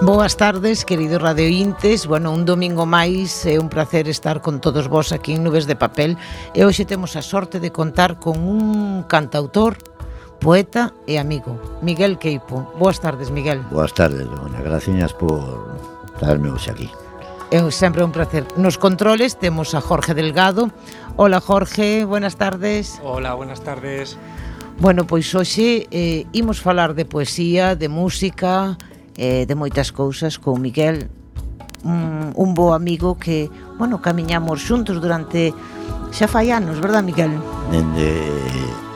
Boas tardes, queridos radiointes. Bueno, un domingo máis, é un placer estar con todos vos aquí en Nubes de Papel. E hoxe temos a sorte de contar con un cantautor, poeta e amigo, Miguel Queipo. Boas tardes, Miguel. Boas tardes, Begoña. Gracias por traerme hoxe aquí. É sempre un placer. Nos controles temos a Jorge Delgado. Hola, Jorge, buenas tardes. Hola, buenas tardes. Bueno, pois hoxe imos falar de poesía, de música, de moitas cousas con Miguel, un bo amigo que, bueno, camiñamos xuntos durante xa fai anos, verdad, Miguel? Dende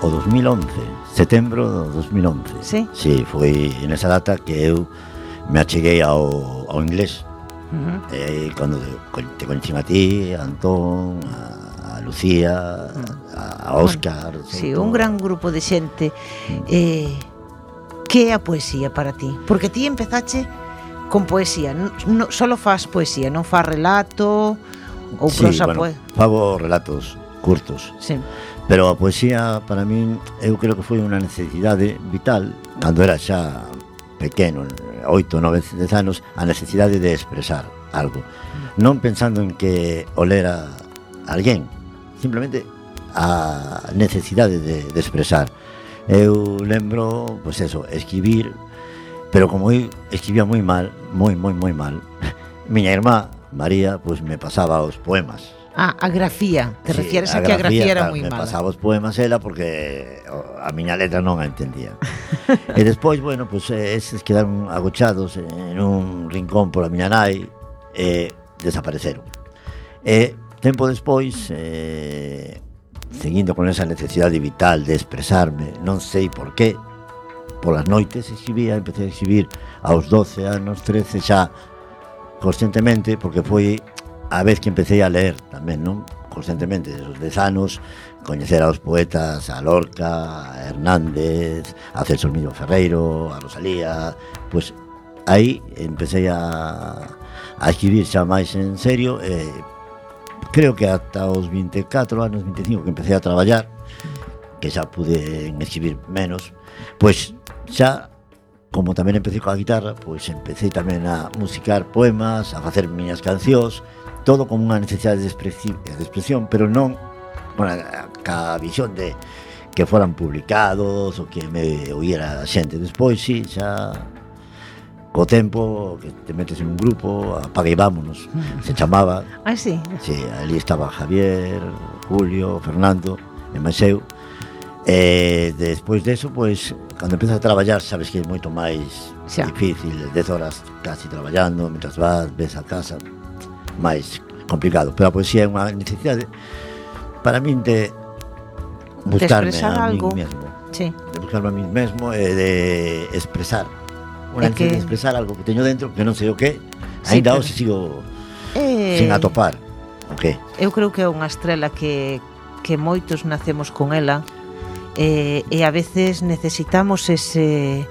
o 2011, setembro do 2011. Sí? Sí, foi nesa data que eu me acheguei ao inglés. Cando te coñecín a ti, a Antón, a Lucía, a Óscar. Sí, un gran grupo de xente. Que é a poesía para ti? Porque ti empezache con poesía, solo faz poesía, non faz relato ou prosa, sí, bueno, fago relatos curtos. Sí. Pero a poesía para min eu creo que foi unha necesidade vital cando era xa pequeno, 8, 9, 10 anos, a necesidade de expresar algo, non pensando en que o lera alguén, simplemente a necesidade de expresar. Eu lembro, pois eso, escribir, pero como eu escribía moi mal, moi mal, miña irmá María, pois me pasaba os poemas. A grafía, te refieres a que a grafía era moi mala. Me pasaba os poemas ela porque a miña letra non a entendía. E despois, bueno, pois eses quedaron agochados en un rincón pola miña nai e desapareceron. E tempo despois, seguindo con esa necesidade vital de expresarme, non sei por qué, polas noites escribía, empecé a escribir aos 12 anos, 13 xa conscientemente, porque foi a vez que empecé a leer tamén, non? Conscientemente, desos 10 anos, coñecer aos poetas, a Lorca, a Hernández, a Celso Hermílio Ferreiro, a Rosalía, pois aí empecé a escribir xa máis en serio, creo que ata os 24 anos, 25, que empecé a traballar, que xa pude escribir menos, pois xa, como tamén empecé coa guitarra, pois empecé tamén a musicar poemas, a facer miñas cancións, todo como unha necesidade de expresión, pero non ca visión de que foran publicados ou que me oíra a xente. Despois, sí, xa co tempo que te metes en un grupo, apaga e vámonos, se chamaba. Ah, sí? Sí, ali estaba Javier, Julio, Fernando, e máis eu. E despois deso, pois, cando empezas a traballar, sabes que é moito máis difícil, 10 horas casi traballando, mentras ves a casa, máis complicado. Pero a poesía é unha necesidade para min de buscarme a mí mesmo. Sí. De buscarme a mí mesmo e de expresar. Unha necesidade de expresar algo que teño dentro, que non sei o que, ainda hoxe sigo sin atopar o que. Eu creo que é unha estrela que moitos nacemos con ela, e a veces necesitamos ese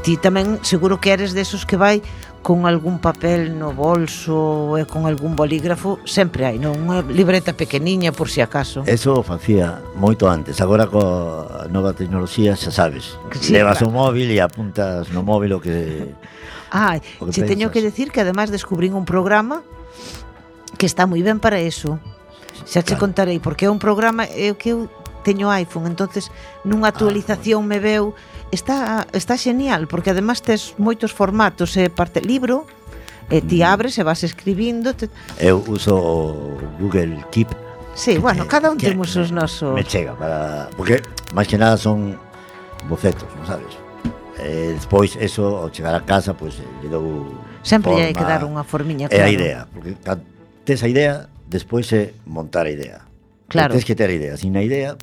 ti tamén seguro que eres desos que vai con algún papel no bolso e con algún bolígrafo, sempre hai, non? Unha libreta pequeniña por si acaso. Eso facía moito antes, agora coa nova tecnoloxía xa sabes, sí, levas claro, o móvil e apuntas no móvil o que che teño que decir que además descubrín un programa que está moi ben para eso. Xa che contarei, porque é un programa que eu teño iPhone, entonces nunha actualización me veu, está genial, porque además tes moitos formatos, parte libro, ti abres e vas escribindo. Eu uso o Google Keep. Sí, bueno, cada un temos os nosos. Me chega para, porque máis que nada son bocetos, non sabes? Despois eso, ao chegar a casa, pois lle dou sempre forma, hai que dar unha formiña, claro. É a idea, porque tes a idea, despois é montar a idea. Claro. Tens que ter a idea, sin a idea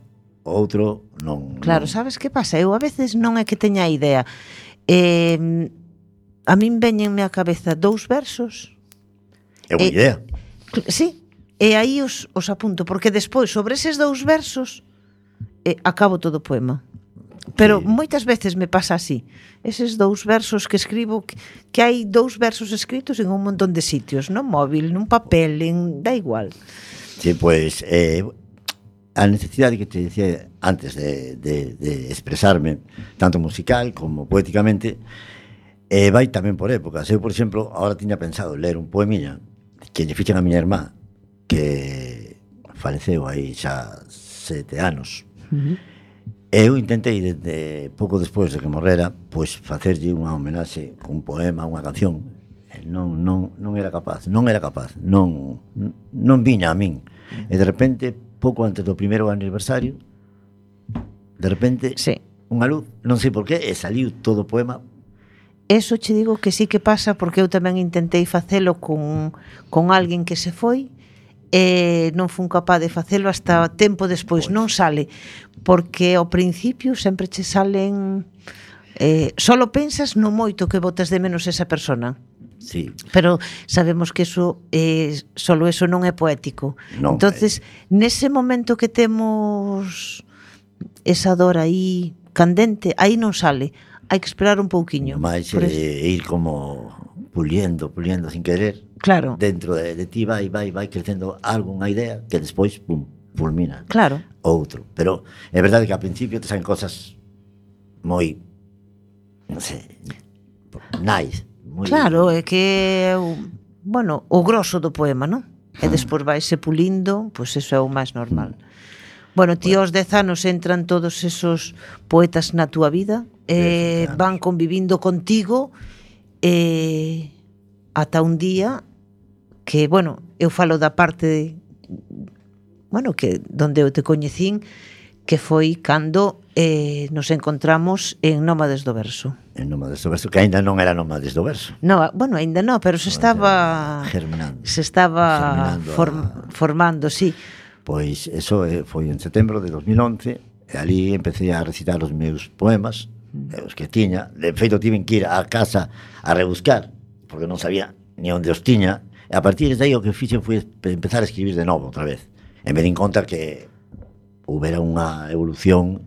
o outro non. Claro, sabes que pasa? Eu a veces non é que teña a idea. A min veñenme á cabeza 2 versos. É unha idea. Sí, e aí os apunto, porque despois sobre eses 2 versos acabo todo o poema. Pero sí, moitas veces me pasa así. Eses 2 versos que escribo, que hai 2 versos escritos en un montón de sitios, no móvil, nun papel, da igual. Sí, pois a necesidade que te decía antes de expresarme, tanto musical como poéticamente, E vai tamén por épocas. Eu, por exemplo, agora tiña pensado ler un poemiña que lle fixen a miña irmá, que faleceu aí xa 7 anos. Eu intentei, desde pouco despois de que morrera, pois facerlle unha homenaxe, un poema, unha canción. Non era capaz, non viña a min. E de repente, pouco antes do primeiro aniversario, de repente, sí, unha luz, non sei por qué, e saliu todo o poema. Eso che digo que sí que pasa, porque eu tamén intentei facelo con alguén que se foi e non fun capaz de facelo hasta tempo despois, non sale, porque ao principio sempre che salen solo pensas no moito que botas de menos esa persona. Sí. Pero sabemos que eso solo eso non é poético. Non, entonces, nese momento que temos esa dor aí candente, aí non sale. Hai que esperar un pouquiño. Mais ir como puliendo sin querer. Claro. Dentro de ti vai crecendo algunha idea que despois, pum, fulmina. Claro. Outro. Pero é verdade que ao principio te saen cosas moi, non sei, nice. Muy... Claro, é que bueno, o grosso do poema, non? E despois vaise pulindo, pois eso é o máis normal. Bueno, ti aos 10 anos entran todos esos poetas na túa vida, van convivindo contigo ata un día que, bueno, eu falo da parte que donde eu te coñecín, que foi cando nos encontramos en Nómades do Verso. En Nómades do Verso, que aínda non era Nómades do Verso. No, bueno, aínda non, pero se estaba germinando. Se estaba formando, sí. Pois eso foi en setembro de 2011, e ali empecé a recitar os meus poemas, os que tiña. De feito, tiven que ir á casa a rebuscar, porque non sabía ni onde os tiña, e a partir de aí o que fixen foi empezar a escribir de novo outra vez. E me din conta que houbera unha evolución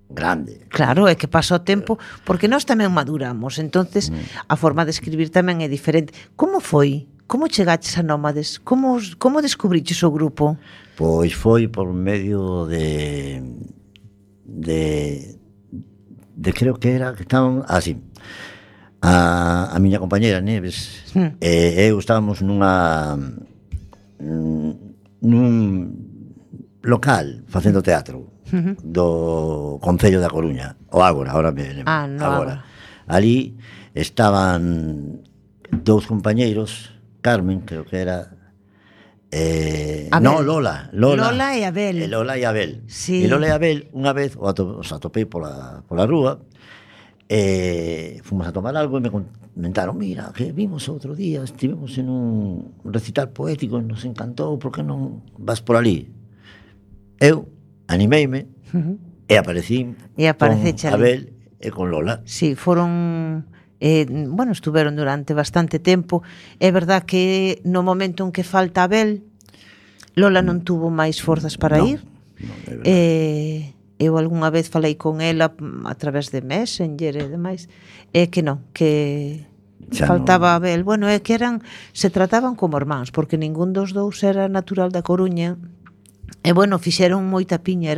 grande. Claro, é que pasa o tempo, porque nós tamén maduramos, entonces a forma de escribir tamén é diferente. Como foi? Como chegaches a Nómades? Como descubriches o grupo? Pois foi por medio de creo que era que estaban así. A miña compañeira Neves e eu estábamos nun local facendo teatro do Concello da Coruña, o Ágora, ahora me lembro. Agora. Ali estaban dous compañeiros, Carmen, creo que era Lola e Abel. Lola e Abel. Sí. E Lola e Abel, unha vez os atopei pola rúa, fomos a tomar algo e me comentaron, mira, que vimos outro día, estivemos en un recital poético e nos encantou, por que non vas por ali? Eu animeime e aparecín con Abel e con Lola. Sí, foron... estuveron durante bastante tempo. É verdad que no momento en que falta Abel, Lola non tuvo máis forzas para ir. Eu algunha vez falei con ela a través de Messenger e demais, que non, que faltaba Abel. Bueno, é que se trataban como irmáns, porque ningún dos dous era natural da Coruña. E bueno, fixeron moita piña,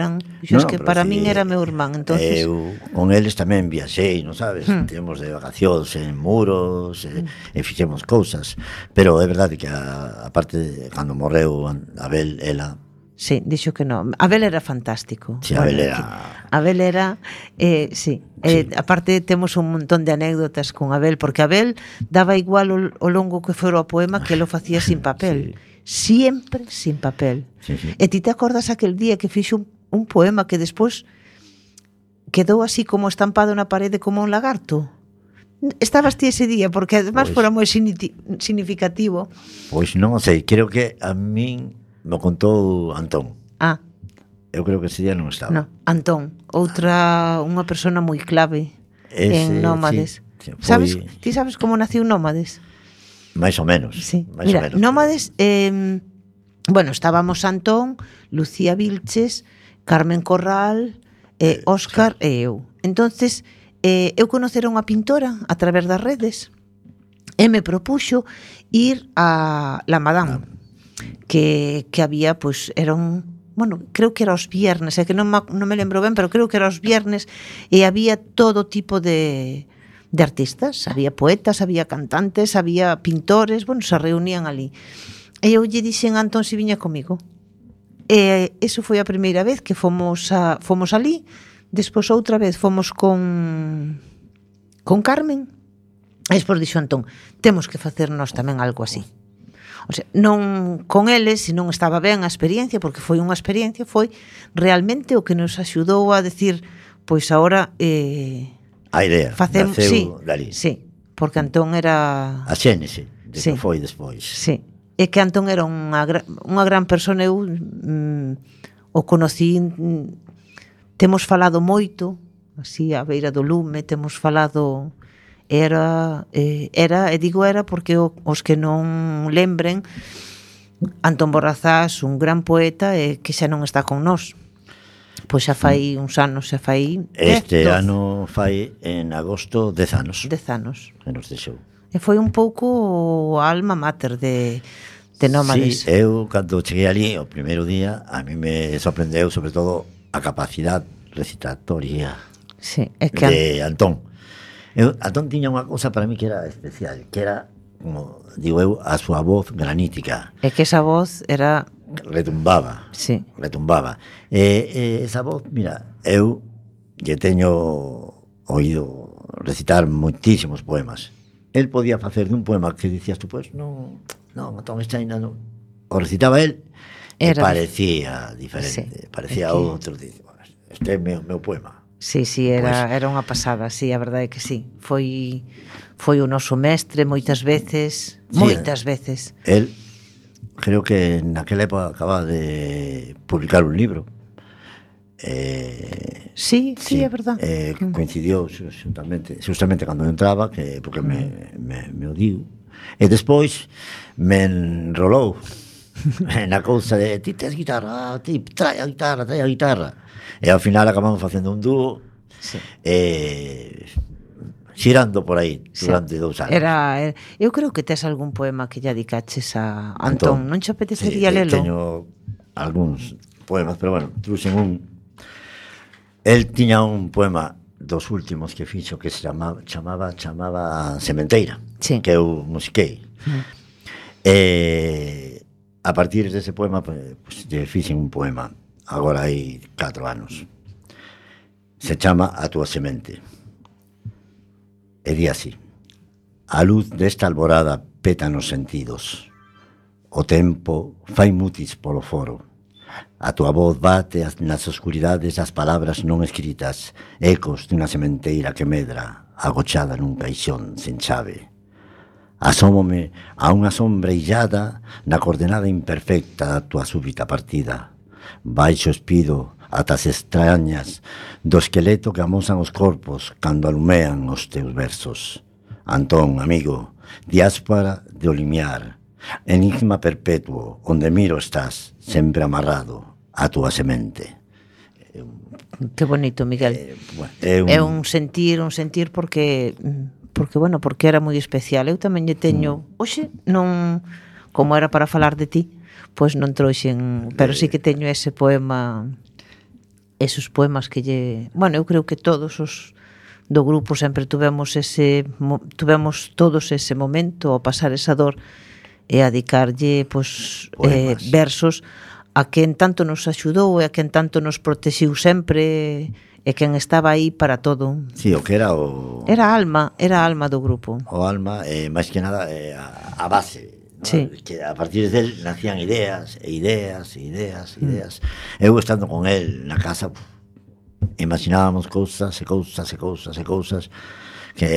que para min era meu irmán, entonces eu con eles tamén viaxei, non sabes? Tivemos de vacacións en Muros e fixemos cousas, pero é verdade que a parte cando morreu Abel, ela sí, dixo que non. Abel era fantástico. Sí, Abel era sí. Aparte temos un montón de anécdotas con Abel, porque Abel daba igual o longo que fora o poema, que lo facía sin papel. Sí. Siempre sin papel. Sí. E ti te acordas aquel día que fixo un poema que despois quedou así como estampado na parede como un lagarto? Estabas ti ese día, porque además fora moi significativo. Pois non sei, creo que a min me contou Antón. Eu creo que ese día non estaba. No, Antón, unha persona moi clave en Nómades. Sí, ti sabes como naciu Nómades? Mais ou menos. Sí. Mira, Nómades, estábamos Antón, Lucía Vilches, Carmen Corral, Óscar e eu. Entonces, eu conocera unha pintora a través das redes e me propuxo ir a La Madame, que había, creo que era os viernes, que non me lembro ben, pero creo que era os viernes, e había todo tipo de de artistas, había poetas, había cantantes, había pintores, bueno, se reunían ali. E eu lle dixen a Antón se viña comigo. E eso foi a primeira vez que fomos ali. Despois outra vez fomos con Carmen. E despois dixo Antón, temos que facer nós tamén algo así. O sea, non con eles, se non estaba ben a experiencia, porque foi unha experiencia, foi realmente o que nos axudou a decir, pois agora a idea facemos, sí, dali. Sí, porque Antón era a xénese de sí, que foi despois. Sí. É que Antón era unha gran persona. Eu o conocí, temos falado moito así a beira do lume, temos falado, era e digo era porque os que non lembren, Antón Borrazás, un gran poeta, que xa non está con nós. Pois xa fai uns anos, xa fai este ano fai en agosto 10 anos. 10 anos. Que nos deixou. E foi un pouco a alma mater de Nómades. Sí, eu cando cheguei ali o primeiro día, a mí me sorprendeu sobre todo a capacidade recitatoria sí, é que de Antón. Antón tiña unha cousa para mí que era especial, que era, como digo eu, a súa voz granítica. É que esa voz era retumbaba. Sí. Retumbaba. Esa voz, mira, eu lle teño oído recitar moitísimos poemas. El podía facer dun poema que dicías tú, pois, non, Antón Estaina non. O recitaba el e parecía diferente, sí, parecía outro. Este é meu poema. Sí, era unha pasada, sí, a verdade é que sí. Foi o noso mestre moitas veces, veces. El creo que naquela época acaba de publicar un libro. Sí, é verdad. Coincidiu justamente cando entraba, porque me odiou. E despois me enrolou na cousa de ti tes guitarra, ti trae a guitarra. E ao final acabamos facendo un dúo, sí, xirando por aí durante 2 anos. Eu creo que tes algún poema que lle dedicaches a Antón. Non che apetecería lelo? Teño algúns poemas, pero bueno, truxen un. El tiña un poema dos últimos que fixo que se chamaba Sementeira, sí, que eu musiquei. A partir dese poema, pues, fixen un poema agora hai 4 anos. Se chama A túa semente. E di así: a luz desta alborada peta nos sentidos, o tempo fai mutis polo foro, a túa voz bate nas oscuridades das palabras non escritas, ecos dunha sementeira que medra, agochada nun caixón sen chave. Asómome a unha sombra illada na coordenada imperfecta da túa súbita partida. Baixo espido ata as extrañas do esqueleto que amosan os corpos cando alumean os teus versos. Antón, amigo, diáspora de olimiar, enigma perpetuo, onde miro estás, sempre amarrado a túa semente. Que bonito, Miguel. É un sentir porque era moi especial. Eu tamén lle teño, hoxe non, como era para falar de ti, pois non trouxen, pero sí que teño ese poema, esos poemas que lle, bueno, eu creo que todos os do grupo sempre tuvemos todos ese momento ao pasar esa dor e a dedicarlle versos a quen tanto nos axudou e a quen tanto nos protexiu sempre e quen estaba aí para todo. Sí, o que era era a alma do grupo. O alma, máis que nada a base. Sí. Que a partir del nacían ideas. Eu estando con él na casa, imaginábamos cousas que,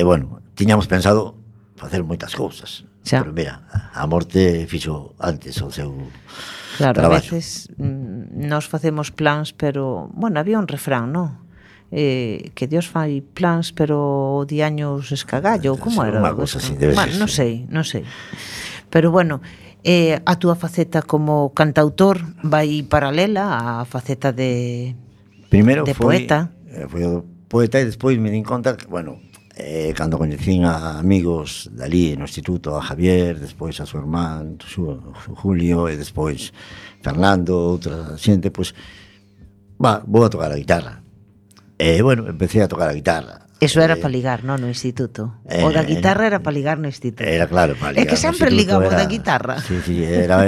bueno, tiñamos pensado facer moitas cousas. Pero mira, a morte fixo antes o seu traballo. A veces nós facemos plans, pero, bueno, había un refrán, non? Que Dios fai plans, pero o diaños escagallo, como era? Unha cousa así, debe ser. Non sei. Pero bueno, a túa faceta como cantautor vai paralela á faceta de poeta. Foi o poeta e despois me din conta que, bueno, cando coñecín a amigos dali no instituto, a Javier, despois a súa irmán, Julio, e despois Fernando, outra xente, pois, vou a tocar a guitarra. E, bueno, empecé a tocar a guitarra. Eso era para ligar, non, no instituto. O da guitarra era para ligar no instituto. Era claro, para ligar. É que sempre ligaba o da guitarra. Sí, era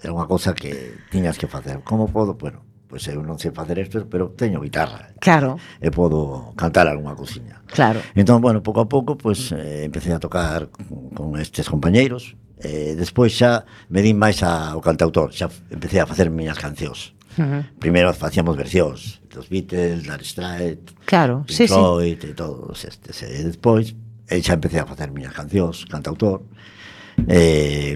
unha cosa que tiñas que facer. Como podo? Bueno, pois eu non sei facer isto, pero teño guitarra. Claro. E podo cantar algunha cousiña. Claro. Entón, bueno, pouco a pouco, pois empecé a tocar con estes compañeiros. Despois xa me di máis ao cantautor, xa empecé a facer miñas cancións. Primeiro facíamos versións dos Beatles, Dire Straits, claro, Pink Floyd e todos estes. E despois xa empecé a facer miñas cancións, cantautor.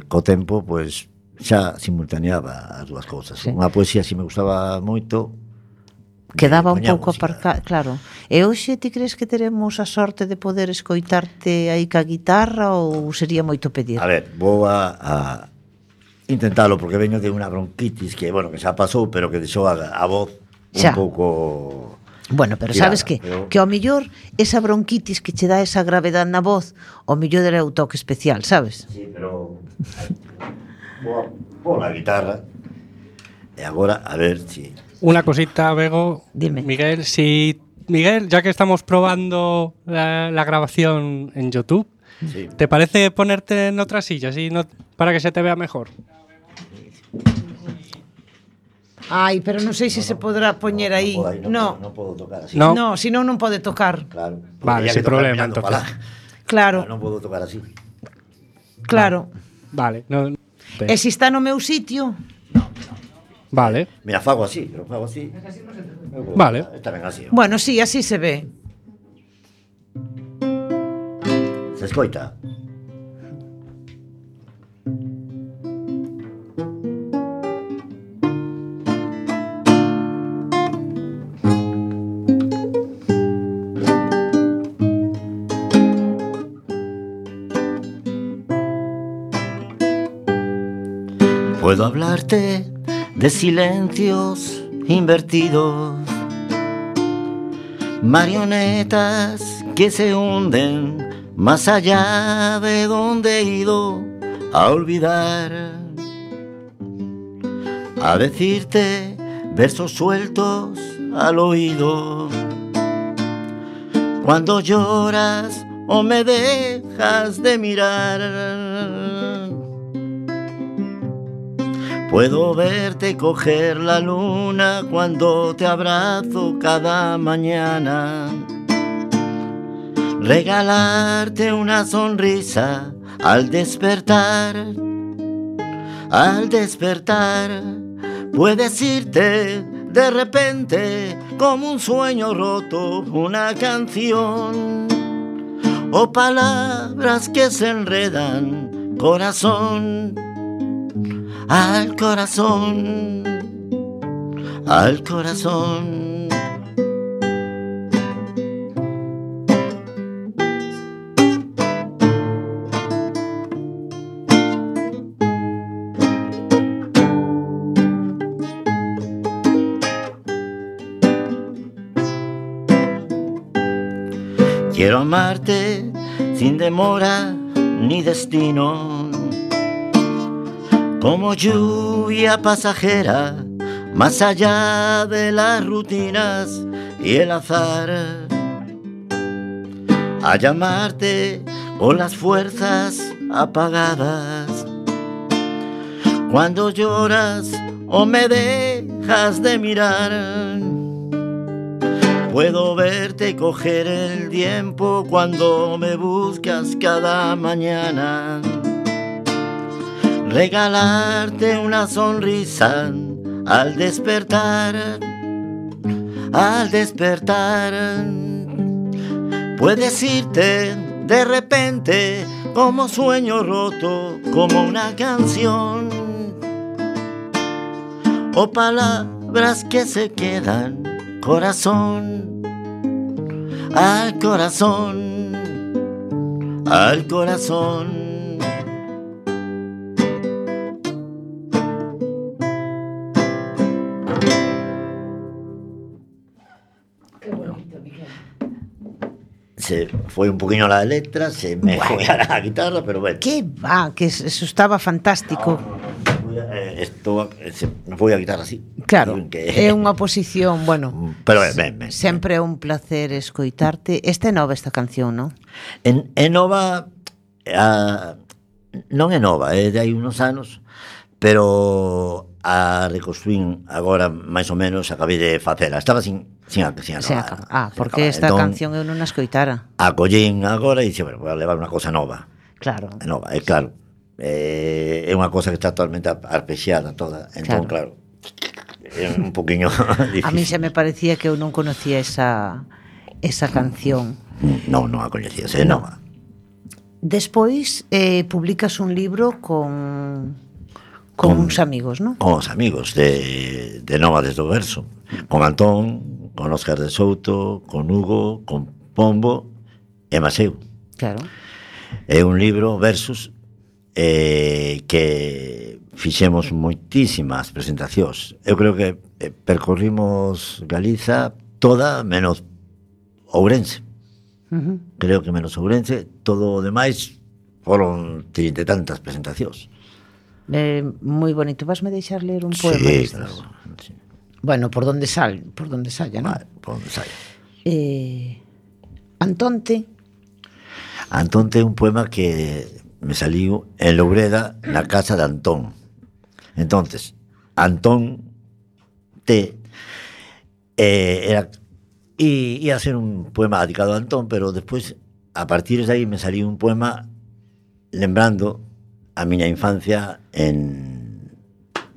Co tempo, pois xa simultaneaba as dúas cousas. Unha poesía si me gustaba moito, quedaba un pouco aparcado, claro. E hoxe ti crees que teremos a sorte de poder escoitarte aí ca guitarra ou sería moito pedir? A ver, vou a intentalo porque veño de unha bronquitis que, bueno, que xa pasou, pero que deixou a voz un pouco... Bueno, pero tirada, sabes que ao millor esa bronquitis que che dá esa gravedade na voz, ao millor era o toque especial, sabes? Sí, pero vou a guitarra e agora a ver si... Una cosita, Bego. Dime. Miguel, ya que estamos probando la grabación en YouTube, sí. ¿Te parece ponerte en otra silla así para que se te vea mejor? Ai, pero non sei se se podrá poñer aí. Non podo tocar así. No, si non pode tocar. Claro. Vale, sin problema, entonces. Claro. Non podo tocar así. Claro. Vale. E se está no meu sitio? No. Vale. Mira, fago así, pero fago así. Vale. Está ben así. Bueno, sí, así se ve. Se escoita? Puedo hablarte de silencios invertidos, marionetas que se hunden más allá de donde he ido a olvidar, a decirte versos sueltos al oído, cuando lloras o me dejas de mirar. Puedo verte coger la luna cuando te abrazo cada mañana, regalarte una sonrisa al despertar. Al despertar puedes irte de repente como un sueño roto, una canción o palabras que se enredan, corazón. Al corazón, al corazón. Quiero amarte sin demora ni destino, como lluvia pasajera, más allá de las rutinas y el azar, a llamarte con las fuerzas apagadas, cuando lloras o me dejas de mirar. Puedo verte coger el tiempo cuando me buscas cada mañana, regalarte una sonrisa al despertar. Al despertar puedes irte de repente como sueño roto, como una canción o palabras que se quedan, corazón. Al corazón, al corazón. Se foi un poquinho la letra, se me foi a la guitarra, pero bueno. Que va, que eso estaba fantástico. Estou, me vou a guitarra así. Claro, é unha posición, bueno, pero ben. Sempre é un placer escoitarte. Esta é nova esta canción, non? É nova, non é nova, é de hai unos anos, pero a reconstruín agora máis ou menos, acabei de facela. Estaba sin acabar. Porque esta canción eu non a escoitara. A collín agora e dixe, bueno, vou a levar unha cosa nova. Claro. É nova, é claro. É unha cosa que está totalmente arpexiada toda. Entón, claro, é un poquinho difícil. A mí se me parecía que eu non conocía esa canción. Non a coñecía, é nova. Despois publicas un libro con uns amigos, non? Con os amigos de Nómades do Verso. Con Antón, con Óscar de Souto, con Hugo, con Pombo e Maseu. Claro. É un libro, versus, que fixemos moitísimas presentacións. Eu creo que percorrimos Galiza toda menos Ourense. Creo que menos Ourense, todo o demais foron 30 e tantas presentacións. Moi bonito. Vasme deixar ler un poema destes? Claro. Sí. Bueno, por donde saia, non? Vale, por donde saia. Antonte é un poema que me saliu en Loureda, na casa de Antón. Entonces, Antón ia a ser un poema dedicado a Antón, pero despois, a partir de aí, me saliu un poema lembrando a miña infancia en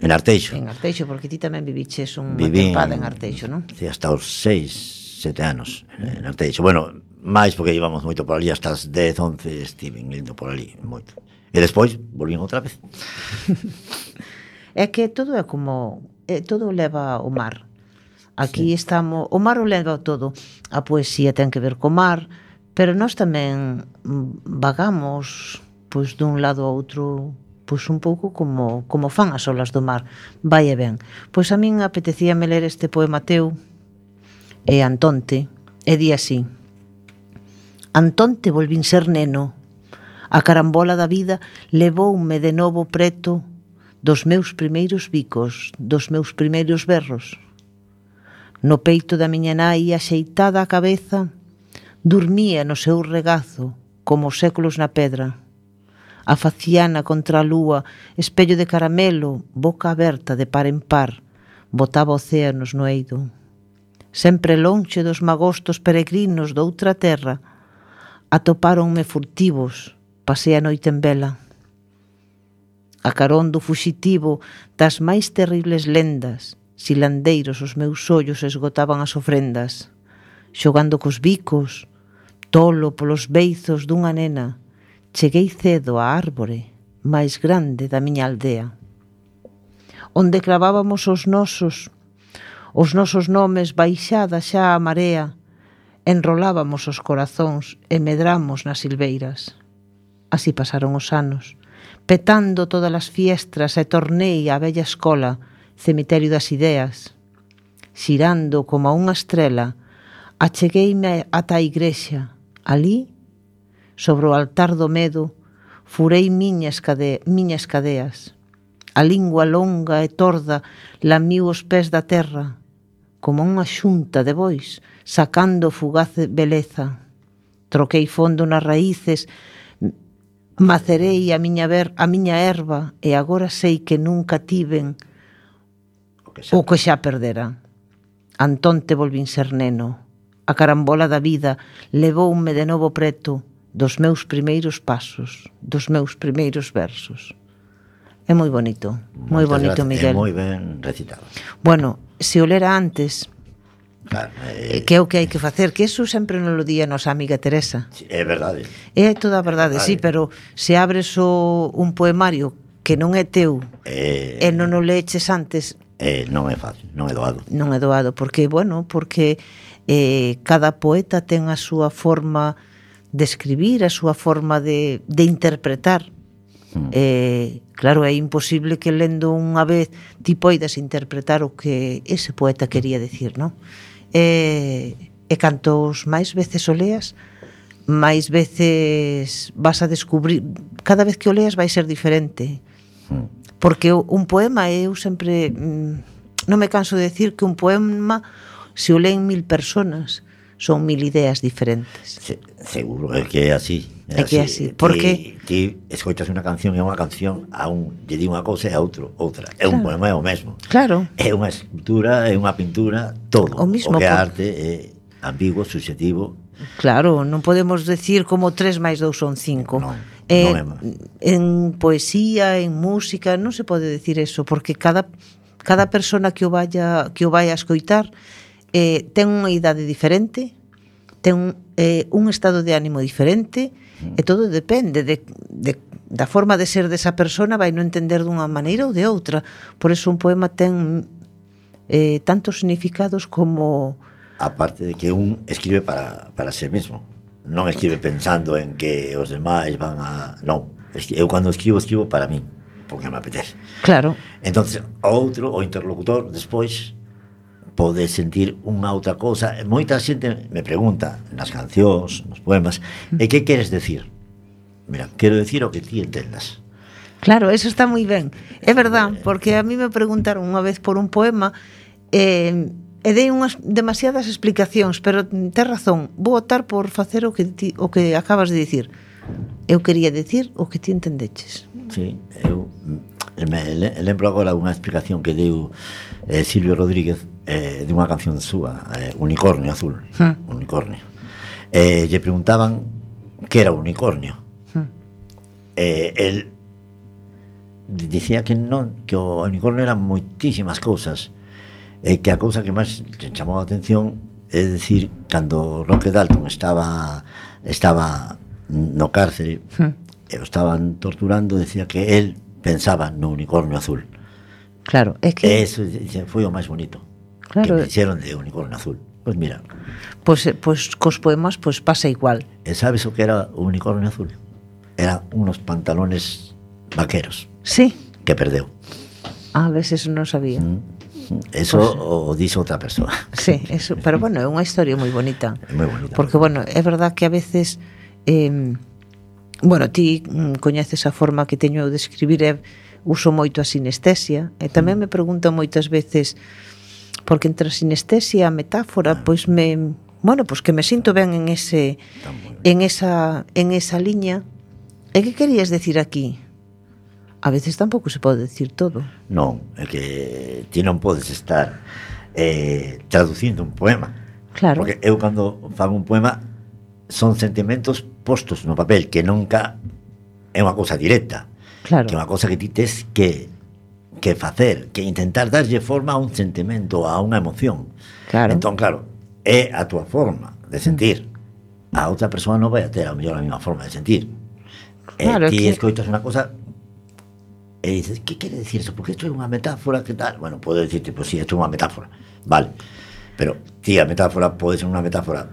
Arteixo. En Arteixo, porque ti tamén viviches unha tempada en Arteixo, non? Sí, hasta os 6, 7 anos en Arteixo. Bueno, máis porque íbamos moito por ali, hasta as 10, 11 estiven indo por ali, moito. E despois volvín outra vez. É que todo é como... todo leva ao mar. Aquí estamos... O mar o leva todo. A poesía ten que ver co mar, pero nós tamén vagamos pois dun lado a outro, pois un pouco como fan as olas do mar. Vai e ben. Pois a min apetecíame ler este poema teu, e Antonte, e di así: Antonte volvín ser neno, a carambola da vida levoume de novo preto dos meus primeiros bicos, dos meus primeiros berros. No peito da miña nai, axeitada a cabeza, dormía no seu regazo, como os séculos na pedra. A faciana contra a lúa, espello de caramelo, boca aberta de par en par, botaba océanos no eido. Sempre lonxe dos magostos peregrinos doutra terra, atopáronme furtivos, pasei a noite en vela. A carón do fuxitivo das máis terribles lendas, silandeiros os meus ollos esgotaban as ofrendas, xogando cos bicos, tolo polos beizos dunha nena, cheguei cedo á árbore máis grande da miña aldea, onde clavábamos os nosos nomes baixada xa a marea, enrolábamos os corazóns e medramos nas silveiras. Así pasaron os anos, petando todas as fiestras, e tornei á bella escola, cemiterio das ideas. Xirando como unha estrela, achegueime ata a igrexa. Ali, sobre o altar do medo, furei miñas cadeas. A lingua longa e torda lamiu os pés da terra, como unha xunta de bois, sacando fugaz beleza. Troquei fondo nas raíces, macerei a miña erva, e agora sei que nunca tiven o que xa perdera. Antonte volvín ser neno. A carambola da vida levoume de novo preto dos meus primeiros pasos, dos meus primeiros versos. É moi bonito, Miguel. É moi ben recitado. Bueno, se o lera antes, claro, que é o que hai que facer, que eso sempre nos lo día a nosa amiga Teresa. Sí, é verdade. É toda a verdade, sí, pero se abres un poemario que non é teu e non o leches antes, non é fácil, non é doado. Non é doado, porque cada poeta ten a súa forma de escribir, a súa forma de interpretar. Claro, é imposible que lendo unha vez ti poidas interpretar o que ese poeta quería decir, non? E cantos máis veces o leas, máis veces vas a descubrir, cada vez que o leas vai ser diferente. Porque un poema, eu sempre non me canso de decir que un poema, se o leen 1000 personas, son 1000 ideas diferentes. Seguro, é que é así. É que é así. Porque ti escoitas unha canción e unha canción, a un lle di unha cousa e a outro outra. É un poema, é o mesmo. Claro. É unha escultura, é unha pintura, todo. O mismo, o que é arte é ambiguo, subjetivo. Claro, non podemos decir como 3 máis 2 son 5. Non. En poesía, en música, non se pode decir eso, porque cada persona que o vai a escoitar ten unha idade diferente, ten un estado de ánimo diferente, e todo depende da forma de ser desa persona, vai non entender dunha maneira ou de outra. Por eso un poema ten tantos significados como... Aparte de que un escribe para sí mismo, non escribe pensando en que os demais van a... Non, eu cando escribo para mí, porque me apetece. Claro. Entonces, o interlocutor, despois, pode sentir unha outra cousa. Moita xente me pregunta nas cancións, nos poemas, e que queres decir? Mira, quero decir o que ti entendas. Claro, eso está moi ben. É verdad, porque a mí me preguntaron unha vez por un poema e dei unhas demasiadas explicacións, pero tes razón, vou optar por facer o que acabas de dicir. Eu quería decir o que ti entendeches. Sí, eu me lembro agora unha explicación que deu Silvio Rodríguez de unha canción súa, Unicornio Azul. Unicornio. Lle preguntaban que era unicornio. El dicía que non, que o unicornio eran moitísimas cousas, e que a cousa que máis chamou a atención é dicir, cando Roque Dalton estaba no cárcere e o estaban torturando, decía que él pensaba no unicornio azul. Claro, é que... Eso foi o máis bonito, claro, que me dixeron de unicornio azul. Pois mira, Pois cos poemas pasa igual. E sabes o que era o unicornio azul? Eran unos pantalones vaqueros. Sí. Que perdeu. A veces non sabía. Eso o dixo outra persoa. Sí, eso, pero bueno, é unha historia moi bonita. É moi bonita. Porque, bueno, é verdad que a veces bueno, ti coñeces a forma que teño eu de escribir, uso moito a sinestesia, e tamén me preguntan moitas veces, porque entre a sinestesia e a metáfora, pois que me sinto ben en esa liña. E que querías decir aquí? A veces tampouco se pode decir todo. Non, é que ti non podes estar traducindo un poema. Claro. Porque eu cando fago un poema son sentimentos postos no papel, que nunca é unha cousa directa. Claro. Que é unha cousa que ti tes que facer, que intentar darlle forma a un sentimento, a unha emoción. Claro. Entón, claro, é a túa forma de sentir. A outra persoa non vai a ter a mellor a mesma forma de sentir. Claro, ti escoitas unha cosa e dices, que quere decir eso? Porque isto é unha metáfora, que tal? Bueno, podo dicirte, pois si, isto é unha metáfora, vale, pero ti, a metáfora pode ser unha metáfora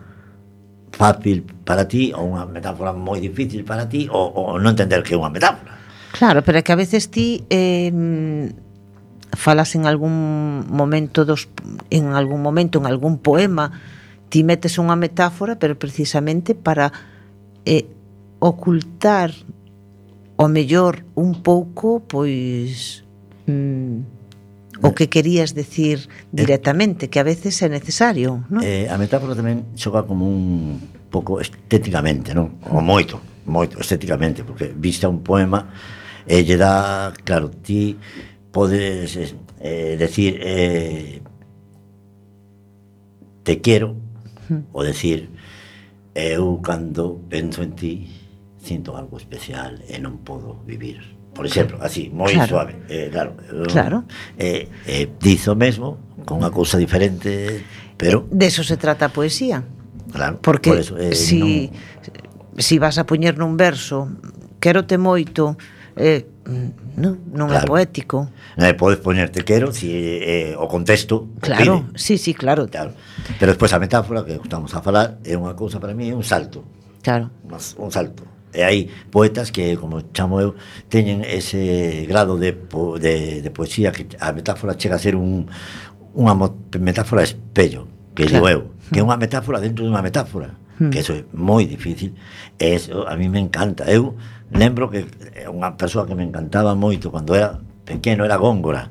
fácil para ti, ou unha metáfora moi difícil para ti, ou non entender que é unha metáfora. Claro, pero é que a veces ti falas en algún momento en algún poema, ti metes unha metáfora, pero precisamente para ocultar o mellor un pouco, pois o que querías decir directamente, que a veces é necesario, non? A metáfora tamén xoga como un pouco estéticamente, non? O moito estéticamente, porque vista un poema lle dá, claro, ti podes decir te quero, ou decir eu cando penso en ti sinto algo especial e non podo vivir. Por exemplo, así, moi suave. Claro. Dizo mesmo, con unha cousa diferente, pero... De eso se trata a poesía. Claro. Porque por eso, si vas a poñer nun verso quérote moito, non é poético. Podes poñerte quero si o contexto claro, sí, claro. Pero despois a metáfora que estamos a falar é unha cousa para mí, é un salto. Claro. Un salto. E hai poetas que, como chamo eu, teñen ese grado de poesía que a metáfora chega a ser unha metáfora espello, que digo eu, que é unha metáfora dentro de unha metáfora, que eso é moi difícil, e eso a mí me encanta. Eu lembro que unha persoa que me encantaba moito cando era pequeno era Góngora.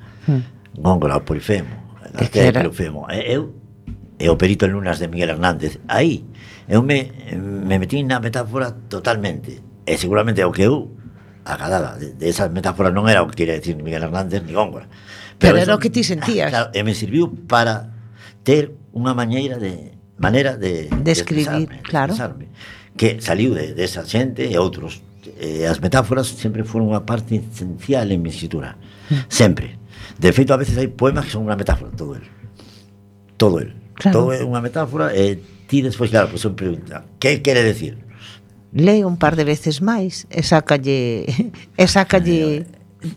Góngora, o Polifemo. Polifemo. E o Perito en Lunas de Miguel Hernández. Aí, eu me metí na metáfora totalmente. E seguramente o que eu acadaba de esas metáforas non era o que quería decir Miguel Hernández ni Góngora. Pero era o que ti sentías. Claro, e me serviu para ter unha maneira de escribir, claro. Que saliu de esa xente e outros. As metáforas sempre foron unha parte esencial en mi escritura. Sempre. De feito, a veces hai poemas que son unha metáfora, todo el. Claro. Todo é unha metáfora e ti despois, claro, pues son pregunta, que quere decir? Lee un par de veces máis e sácalle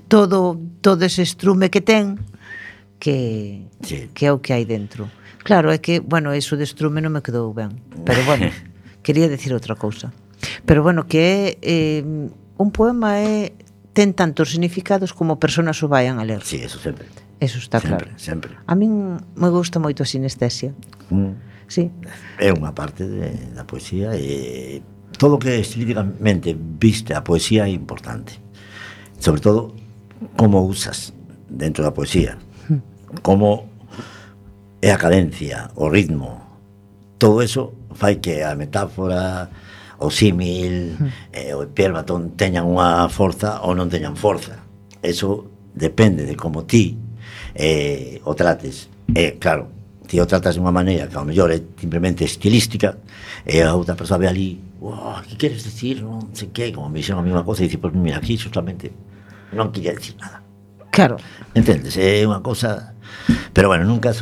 todo ese estrume que ten que é o que hai dentro. Claro, é que, bueno, eso de estrume non me quedou ben, pero bueno, quería decir outra cousa. Pero bueno, que é un poema ten tantos significados como personas o vayan a ler. Sí, eso sempre. Eso está claro. Sempre. A min me gusta moito a sinestesia. Sí. É unha parte da poesía e todo o que estilísticamente viste a poesía é importante. Sobre todo, como usas dentro da poesía. Como é a cadencia, o ritmo. Todo eso fai que a metáfora, o símil, o epérbaton teñan unha forza ou non teñan forza. Eso depende de como ti o trates. Claro, ti o tratas de unha maneira que ao mellor é simplemente estilística e a outra persoa ve ali, que queres decir, non sei que, como me dixeron a mesma cosa e dice, pues mira, aquí justamente non quería decir nada. Claro. Entendes? É unha cosa... Pero bueno, nunca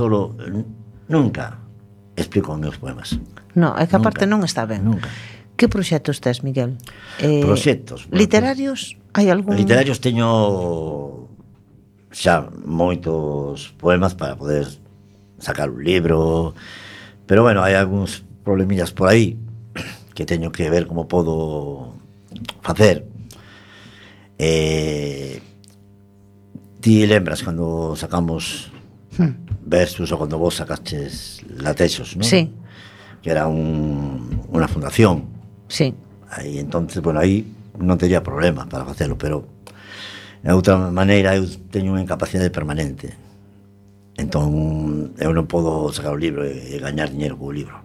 explico os meus poemas. No, é que aparte non está ben. Nunca. Que proxectos tes, Miguel? Proxectos. Literarios? Hai algún? Literarios teño xa moitos poemas para poder sacar un libro, pero bueno, hai algúns problemillas por aí que teño que ver como podo facer. Ti lembras cando sacamos Versus ou cando vos sacaches Latexos, non? Sí. Que era unha fundación. Sí. Aí, entonces, bueno, aí non tería problema para facelo, pero de outra maneira eu teño unha incapacidade permanente. Entón, eu non podo sacar o libro e gañar dinheiro co libro,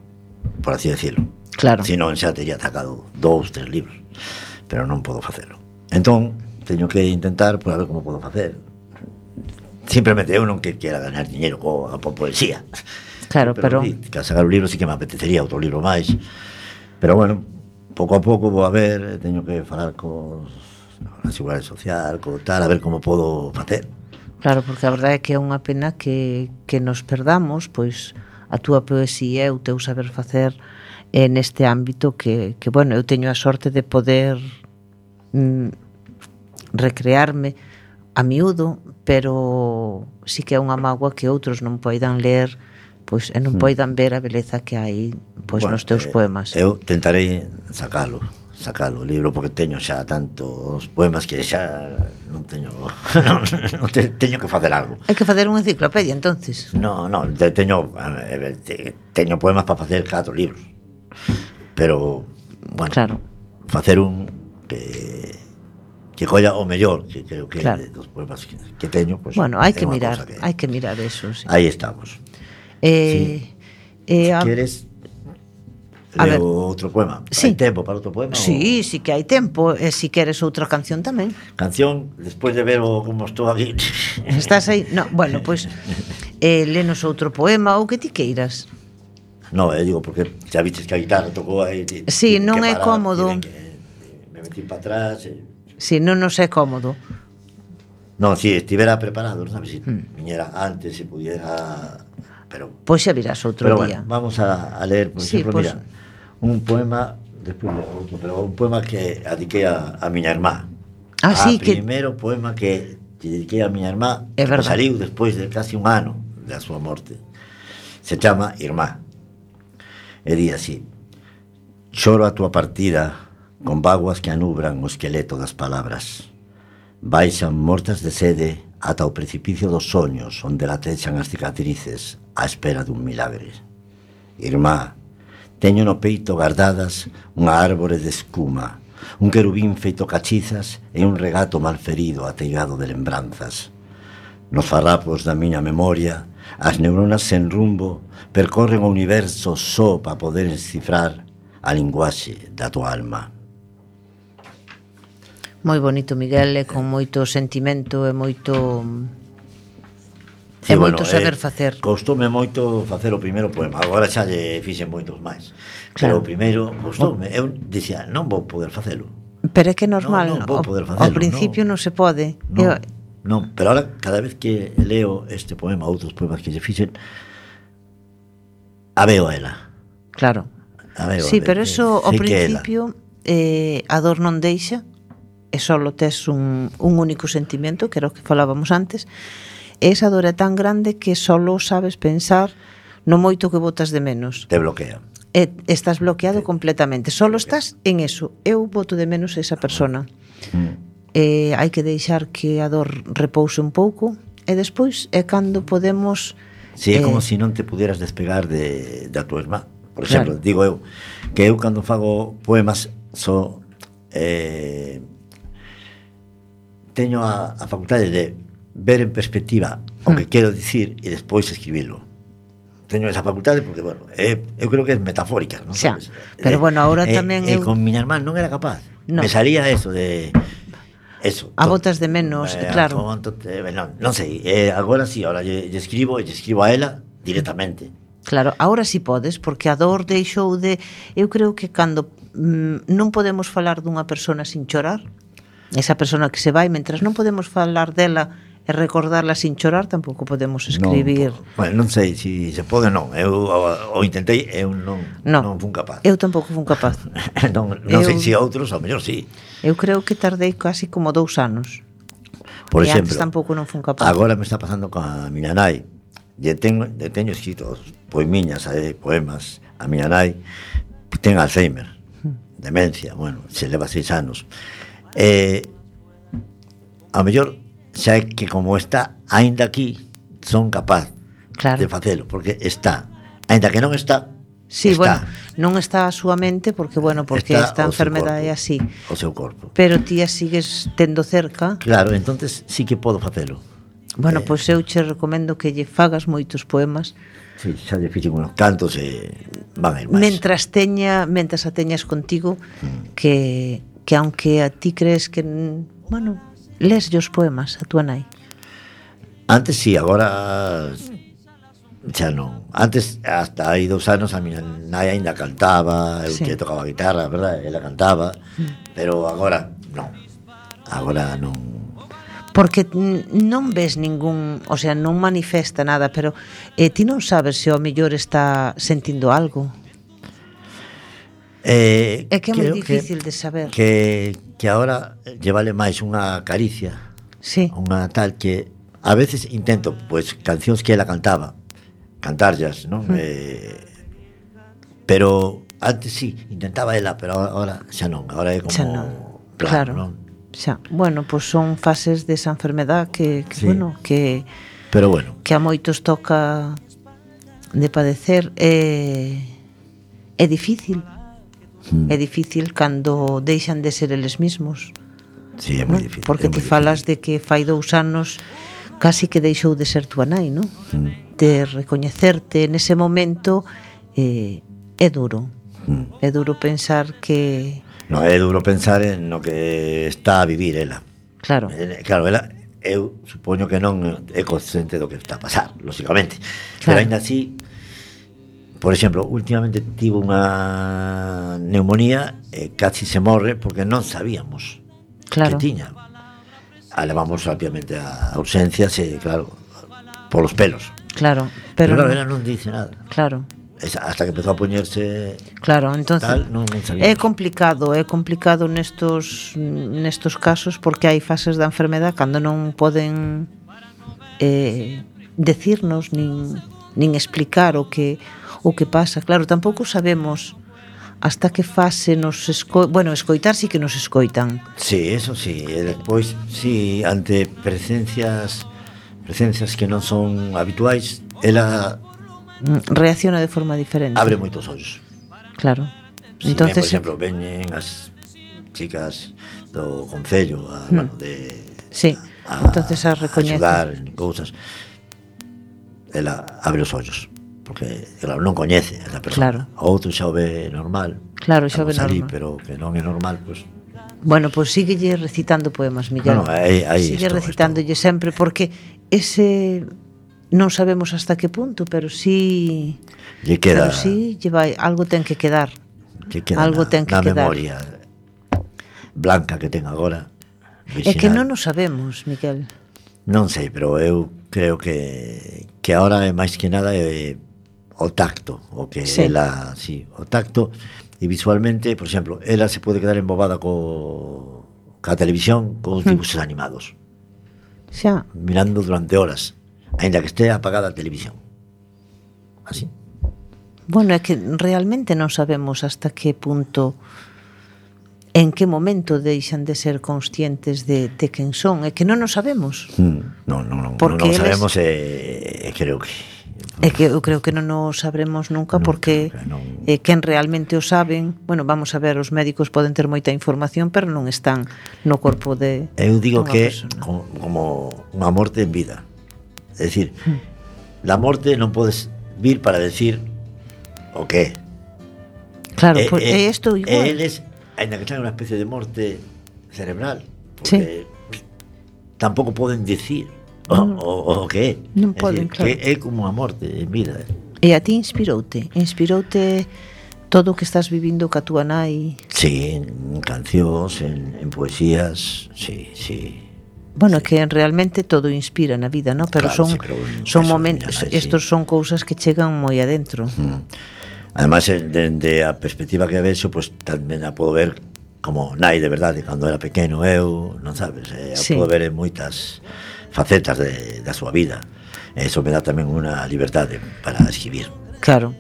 por así decirlo. Claro. Se non, xa tería sacado 2, 3 libros, pero non podo facelo. Entón, teño que intentar por a ver como podo facer. Simplemente eu non que quera gañar dinheiro coa poesía. Claro, pero que sacar o libro sí que me apetecería outro libro máis. Pero bueno, pouco a pouco vou a ver, teño que falar a Seguridade Social, tal, a ver como podo facer. Claro, porque a verdade é que é unha pena que nos perdamos, pois a túa poesía e o teu saber facer neste ámbito que bueno, eu teño a sorte de poder recrearme a miúdo, pero sí que é unha mágoa que outros non poidan ler, pois e non poidan ver a beleza que hai pois nos teus poemas. Eu tentarei sacalo o libro, porque teño xa tantos poemas que xa non teño teño que facer algo. Hai que facer unha enciclopedia, entonces. No, teño poemas para facer 4 libros, pero bueno, claro, facer un que colla o mellor, que creo que claro, dos poemas que teño, pues, bueno, hai que mirar eso, sí. Aí estamos. Si queres leo outro poema. Sí. Hai tempo para outro poema? Sí, sí que hai tempo. E se queres outra canción tamén. Canción, despois de ver como estou aquí. Estás aí? No, bueno, pois lenos outro poema ou que ti queiras. No, digo, porque xa viches que a guitarra tocou aí. Sí, non é cómodo. Me metí para atrás. Sí, non nos é cómodo. Non, si estivera preparado, non sabes, se viñera antes, se pudiera... Pero, pois xa virás outro día. Bueno, vamos a leer, por exemplo, pues, mira, un poema, despois outro, pero un poema que dediquei a miña irmá. Sí, primeiro poema que dediquei a miña irmá, que saliu despois de casi un ano da súa morte. Se chama Irmá. E di así: choro a túa partida con vaguas que anubran o esqueleto das palabras. Baixan mortas de sede ata o precipicio dos soños onde latexan as cicatrices á espera dun milagre. Irmá, teño no peito guardadas unha árbore de escuma, un querubín feito cachizas e un regato malferido ateigado de lembranzas. Nos farrapos da miña memoria, as neuronas sen rumbo percorren o universo só para poder descifrar a linguaxe da tua alma. Moi bonito, Miguel, e con moito sentimento e moito... Sí, moito saber facer. Costoume moito facer o primeiro poema. Agora xa lle fixen moitos máis. Pero o primeiro costoume. Eu dicía, non vou poder facelo. Pero é que é normal, non vou poder facelo, ao principio non se pode. Non, pero ahora cada vez que leo este poema, outros poemas que lle fixen, a veo a ela. Claro. Sí, pero eso ao principio a dor non deixa, e só tes un único sentimento, que era o que falábamos antes. Esa dor é tan grande que só sabes pensar no moito que botas de menos. Te bloquea. Estás bloqueado completamente. Só estás en eso. Eu boto de menos esa persona. Hai que deixar que a dor repouse un pouco e despois é cando podemos... Si, é como se non te puderas despegar da tua irmá. Por exemplo, digo eu, que eu cando fago poemas teño a facultade de ver en perspectiva o que quero dicir e despois escribilo. Teño esa facultade porque, bueno, eu creo que é metafórica, non sabes? Pero bueno, ahora tamén eu... con miña irmán non era capaz. No. Me salía eso de... Eso. A botas de menos, claro. Non sei, agora sí, ahora lle escribo a ela directamente. Claro, ahora sí podes, porque a dor deixou de... Eu creo que cando non podemos falar dunha persona sin chorar, esa persona que se vai, mentras non podemos falar dela e recordarla sin chorar, tampouco podemos escribir. Non sei se se pode, non. Eu o intentei, eu non fun capaz. Eu tampouco fun capaz. non sei se outros, ao mellor sí. Eu creo que tardei casi como 2 anos. Por exemplo, antes tampouco non fun capaz. Agora me está pasando con a miña nai. Teño escritos poemiñas, poemas a miña nai, ten Alzheimer, demencia, bueno, se leva 6 anos. Ao mellor xa é que como está aínda aquí son capaz de facelo, porque está, aínda que non está. Sí, bueno, non está a súa mente porque esta enfermedade é así. O seu corpo. Pero ti a sigues tendo cerca. Claro, entonces sí que podo facelo. Bueno, pois eu che recomendo que lle fagas moitos poemas. Sí, xa lle fixen unos cantos e van a ir máis. Mentras a teñas contigo, que aunque a ti crees que, bueno, les os poemas a tua nai. Antes sí, agora xa non. Antes, hasta hai 2 anos, a miña nai ainda cantaba, eu que tocaba guitarra, verdad? Ela cantaba, pero agora non. Agora non. Porque non ves ningún, o sea, non manifesta nada, pero ti non sabes se ao mellor está sentindo algo. É que é moi difícil de saber. Que agora lle vale máis unha caricia, unha tal que a veces intento, pois, cancións que ela cantaba, cantarllas, non? Pero antes sí, intentaba ela, pero agora xa non, agora é como claro, non? Xa, bueno, pois son fases desa enfermedad que bueno, que pero bueno, que a moitos toca de padecer, é difícil. É difícil cando deixan de ser eles mesmos. Sí, é moi difícil. Porque te falas de que fai 2 anos casi que deixou de ser tua nai, non? De recoñecerte nese momento é duro. É duro pensar que... No, é duro pensar en no que está a vivir ela. Claro. Claro, ela, eu supoño que non é consciente do que está a pasar, lógicamente. Pero ainda así, por exemplo, últimamente tivo unha neumonía e casi se morre porque non sabíamos que tiña. A levamos rápidamente a urgencias e, claro, polos pelos. Claro, pero ela non dice nada. Claro. Hasta que empezou a poñerse. Claro, entonces tal, non é complicado nestos casos porque hai fases da enfermedade cando non poden decirnos nin explicar o que pasa. Claro, tampouco sabemos hasta que fase nos escoitar sí que nos escoitan. Sí, eso sí, e despois sí, ante presencias que non son habituais, ela reacciona de forma diferente. Abre moitos ollos. Claro. Sí, entonces, por exemplo, veñen as chicas do concello bueno, de sí, entonces a recoñece axudar en cousas. Ela abre os ollos porque claro, non coñece a esa persona. O outro xa o ve normal. Claro, xa o ve ali, normal. pero que non é normal, pois. Bueno, pois síguelle recitando poemas, Miguel. No, aí sigue recitándolle sempre porque ese non sabemos hasta que punto, pero sí lle queda, pero sí lle vai, algo ten que quedar. Algo ten que quedar. Memoria blanca que ten agora. É que non o sabemos, Miguel. Non sei, pero eu creo que agora é máis que nada o tacto, o que ela, o tacto e visualmente, por exemplo, ela se pode quedar embobada ca televisión con os dibujos animados. Xa. Mirando durante horas, aínda que estea apagada a televisión. Así. Bueno, é que realmente non sabemos hasta que punto, en que momento deixan de ser conscientes de quen son, é que non o sabemos. Non sabemos e creo que é que eu creo que non o sabremos nunca porque quen realmente o saben, bueno, vamos a ver, os médicos poden ter moita información, pero non están no corpo de eu digo que como unha morte en vida. É dicir, la morte non podes vir para decir o que é. Claro, é isto igual. Eles, ainda que sean unha especie de morte cerebral, porque tampouco poden decir o que é. Non poden, claro. É como a morte en vida. E a ti inspiroute todo o que estás vivindo ca túa nai? Sí, en cancións, en poesías, sí. Bueno, que realmente todo inspira na vida, ¿no? Pero claro, son momentos, estos son cousas que chegan moi adentro. Además, dende a perspectiva que vexo, pues tamén a podo ver como nai de verdade, cando era pequeno eu, non sabes, a podo ver en moitas facetas da súa vida. Eso me dá tamén unha liberdade para escribir. Claro.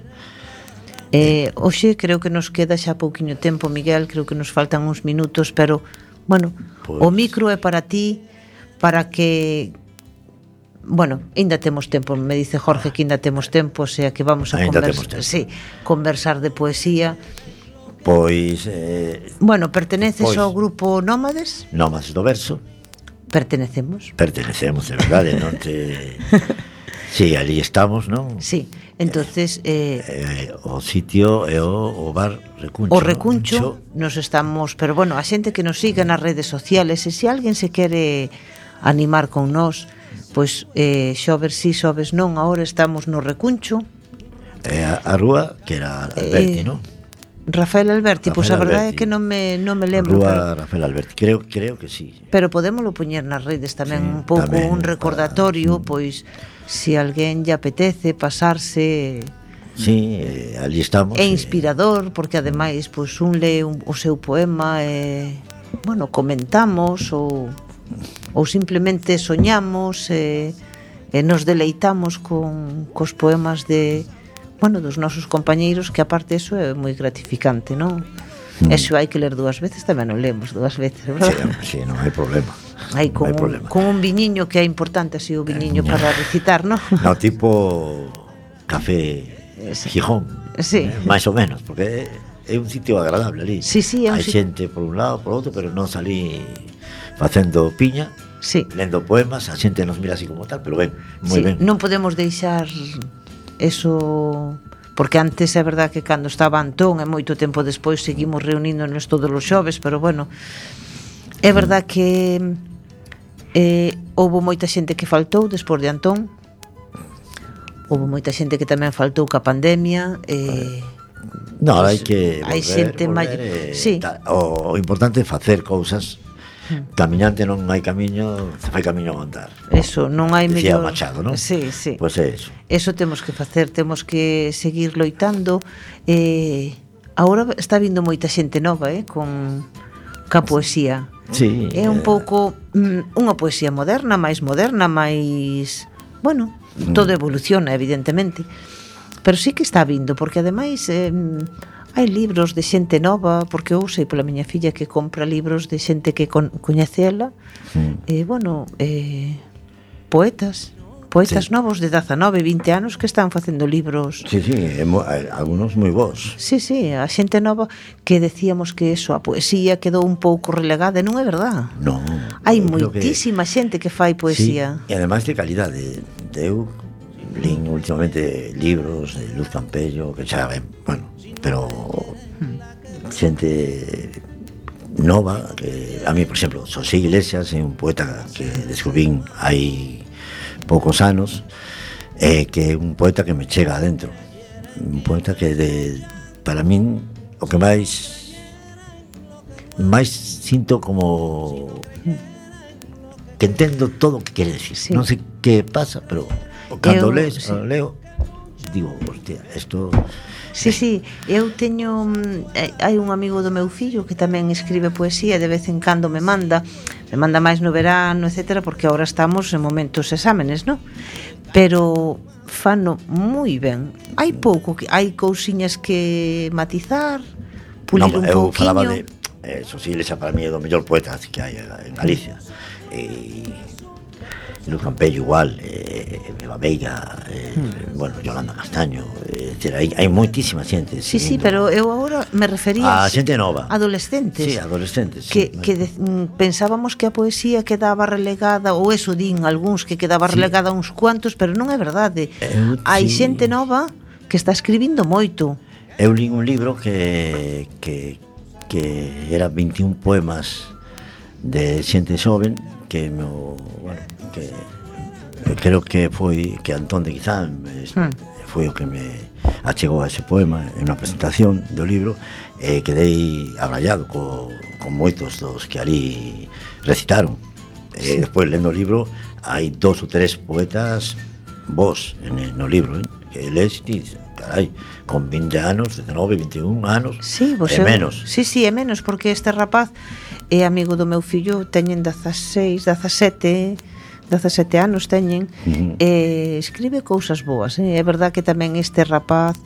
Hoxe creo que nos queda xa pouquiño tempo, Miguel, creo que nos faltan uns minutos, pero, bueno, pues, o micro é para ti, para que... Bueno, ainda temos tempo, me dice Jorge que ainda temos tempo, o sea que vamos a conversar de poesía. Pois... bueno, perteneces ao grupo Nómades? Nómades do Verso. Pertenecemos, de verdade, non te... Sí, ali estamos, non? Sí, entonces o sitio é o bar Recuncho. O Recuncho, nos estamos, pero bueno, a xente que nos siga nas redes sociales, e se alguén se quere animar con nós, pois xoves sí, xoves non, agora estamos no Recuncho. A rúa que era Alberti, non? Rafael Alberti, pois a verdade é que non me lembro. Rúa Rafael Alberti, creo que sí. Pero podémoslo poñer nas redes tamén, un pouco un recordatorio, pois se alguén lle apetece pasarse. Sí, ali estamos. É inspirador porque ademais pois un lee o seu poema e bueno, comentamos ou simplemente soñamos e nos deleitamos cos poemas dos nosos compañeiros, que aparte eso é moi gratificante, non? Eso hai que ler dúas veces, tamén non lemos dúas veces, verdad? Sí, non hai problema. Con un viñiño, que é importante así o viñiño para recitar, non? No, tipo café Gijón, máis ou menos, porque é un sitio agradable ali. Sí, hai xente por un lado, por outro, pero non salí facendo piña, lendo poemas, a xente nos mira así como tal, pero ben, moi ben. Non podemos deixar eso, porque antes é verdad que cando estaba Antón e moito tempo despois seguimos reuníndonos todos os xoves, pero bueno, é verdad que houbo moita xente que faltou despois de Antón, houbo moita xente que tamén faltou ca pandemia. Non, hai que volver, sí. O importante é facer cousas. Camiñante non hai camiño, se fai camiño a andar. Eso, non hai mellor. Decía Machado, non? Sí. Pois é eso. Eso temos que facer, temos que seguir loitando. Agora está vindo moita xente nova, ca poesía. Sí. É un pouco unha poesía moderna, máis, bueno, todo evoluciona, evidentemente. Pero sí que está vindo, porque ademais hai libros de xente nova, porque eu sei pola miña filla que compra libros de xente que coñece ela, poetas Poetas novos de 19, 20 anos que están facendo libros. Sí, algunos moi bons. Sí, a xente nova que decíamos que eso, a poesía quedou un pouco relegada, e non é verdad. Non. Hai moitísima xente que fai poesía. Sí, e ademais de calidade. Eu lín últimamente libros de Luz Campello, que xa ben, bueno, pero xente nova, que a mí, por exemplo, Xosé Iglesias é un poeta que descubrín hai poucos anos, que é un poeta que me chega adentro, un poeta que para min o que máis sinto como que entendo todo o que quere decir. Sí. Non sei que pasa, pero cando leo digo, hostia, isto... Sí, eu teño hai un amigo do meu fillo que tamén escribe poesía, de vez en cando me manda máis no verano, etcétera, porque agora estamos en momentos exámenes, non? Pero fano moi ben. Hai cousiñas que matizar, pulir un pouquiño. Eu falaba de Xosé Iglesias, para mí é do mellor poeta que hai en Galicia. Luz Campello igual, Eva Veiga, bueno, Yolanda Castaño, hai moitísima xente. Sí, pero eu agora me refería a xente nova, adolescentes. Sí, adolescentes. Que pensábamos que a poesía quedaba relegada, ou eso din algúns, que quedaba relegada a uns cuantos, pero non é verdade. Hai xente nova que está escribindo moito. Eu li un libro que era 21 poemas de xente xoven que creo que foi que Antón de Guizán foi o que me achegou a ese poema en unha presentación do libro, e quedei abrallado con moitos dos que ali recitaron. Despois, lendo o libro, hai 2 ou 3 poetas vos no libro, que lees e dices, carai, con 20 anos, 19, 21 anos, é menos. Sí, é menos, porque este rapaz é amigo do meu fillo, teñen 16, 17 anos teñen, escribe cousas boas, é verdad que tamén este rapaz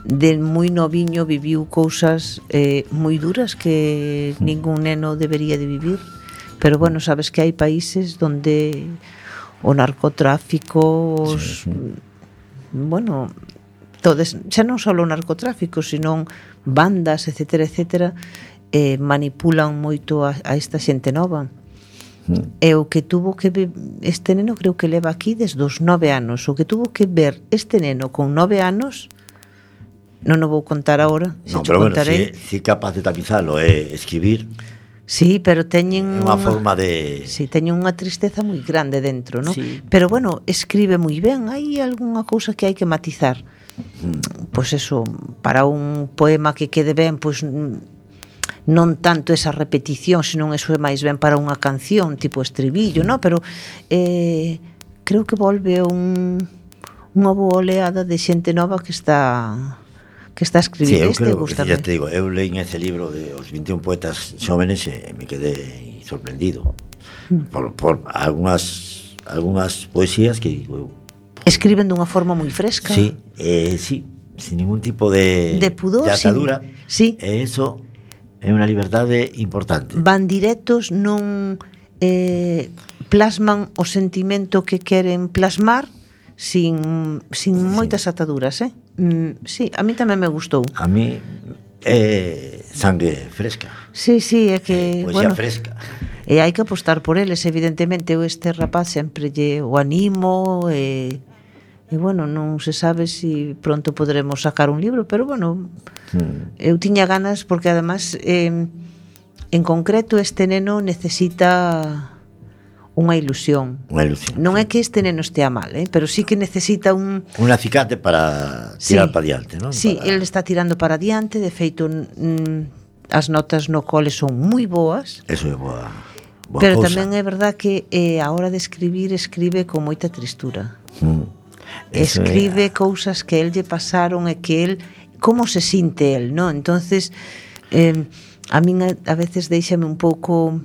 de moi noviño viviu cousas moi duras que ningún neno debería de vivir, pero bueno, sabes que hai países donde o narcotráfico, bueno, todos, xa non só o narcotráfico, sino bandas, etcétera, manipulan moito a esta xente nova. E o que tuvo que ver este neno, creo que leva aquí desde os 9 anos, o que tuvo que ver este neno con 9 anos, non o vou contar agora, non, pero bueno, si capaz de tapizalo é escribir. Sí, pero teñen unha forma de... Sí, teñen unha tristeza moi grande dentro, non? Sí. Pero bueno, escribe moi ben, hai algunha cousa que hai que matizar. Pois eso, para un poema que quede ben, pois non tanto esa repetición, senón eso é máis ben para unha canción, tipo estribillo, non? Pero creo que volve unha boa oleada de xente nova que está a escribir. Sí, eu creo, ya te digo, eu leí ese libro de os 21 poetas xóvenes e me quedé sorprendido por algunhas poesías que digo, escriben dunha forma moi fresca. Sí, sin ningún tipo de pudor, de atadura. Sí. E eso é unha liberdade importante. Van directos, non plasman o sentimento que queren plasmar sin moitas ataduras, Sí, a mí tamén me gustou. A mí é sangue fresca. Sí, é que, poesía fresca. E hai que apostar por eles, evidentemente. Eu este rapaz sempre o animo e bueno, non se sabe se pronto podremos sacar un libro, pero bueno, eu tiña ganas porque además en concreto este neno necesita unha ilusión. Non é que este neno estea mal, pero sí que necesita un acicate para tirar para diante, non? Sí, ele está tirando para diante, de feito as notas no cole son moi boas. Eso é boa pero cousa. Tamén é verdad que a hora de escribir escribe con moita tristura. Escribe cousas que el lle pasaron e que el, como se sinte el, non? Entonces a min a veces deixame un pouco...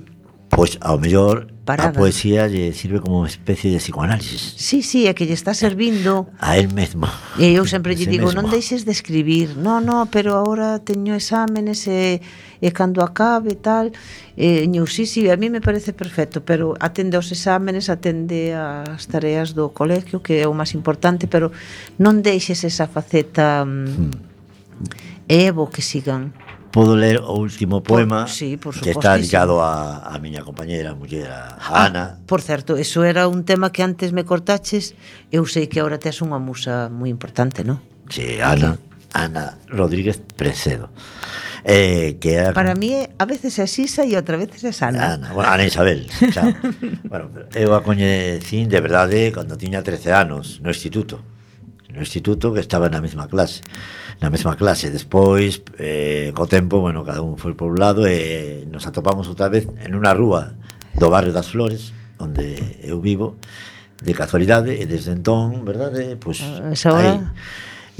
Pois ao mellor parada. A poesía lle sirve como unha especie de psicoanálisis. Sí, é que lle está servindo a él mesmo. E eu sempre lle digo, non deixes de escribir. No, pero agora teño exámenes e cando acabe tal. Sí, a mí me parece perfecto, pero atende aos exámenes, atende ás tareas do colegio, que é o máis importante, pero non deixes esa faceta é bo que sigan. Podo ler o último poema sí, que está dedicado a miña compañera, a muller, a Ana. Por certo, eso era un tema que antes me cortaches. Eu sei que agora tes unha musa moi importante, non? Sí, Ana Rodríguez Precedo. Que era, para mí a veces é Sisa e outra veces é Ana. Ana Isabel. Bueno, eu a coñecín de verdade cando tiña 13 anos no instituto que estaba na mesma clase. Despois, co tempo, bueno, cada un foi por un lado e nos atopamos outra vez en unha rúa do barrio das Flores, onde eu vivo, de casualidade, e desde entón, verdade, pois aí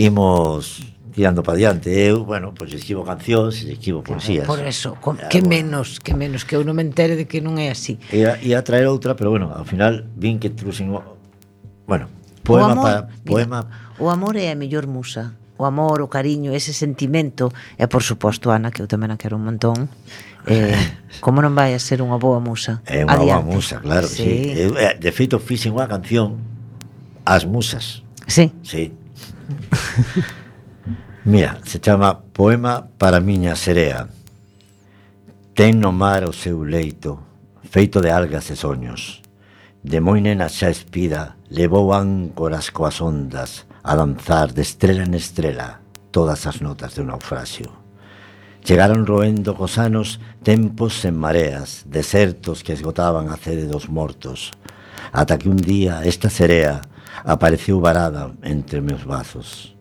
imos tirando para diante. Eu, bueno, pois escribo cancións, escribo poesías. Por eso, que menos que eu non me entere de que non é así. Ia traer outra, pero bueno, ao final vin que truxen, bueno, poema. O amor é a mellor musa. O amor, o cariño, ese sentimento. E por suposto, Ana, que eu tamén a quero un montón. Como non vai a ser unha boa musa? É unha boa musa, claro, sí. De feito, fixen unha canción As musas. Sí. Mira, se chama Poema para miña serea. Ten no mar o seu leito, feito de algas e soños. De moi nena xa espida, levou áncoras coas ondas, a danzar de estrela en estrela todas as notas de un naufraxio. Chegaron roendo cos anos tempos sen mareas, desertos que esgotaban a sede dos mortos, ata que un día esta serea apareceu varada entre meus bazos.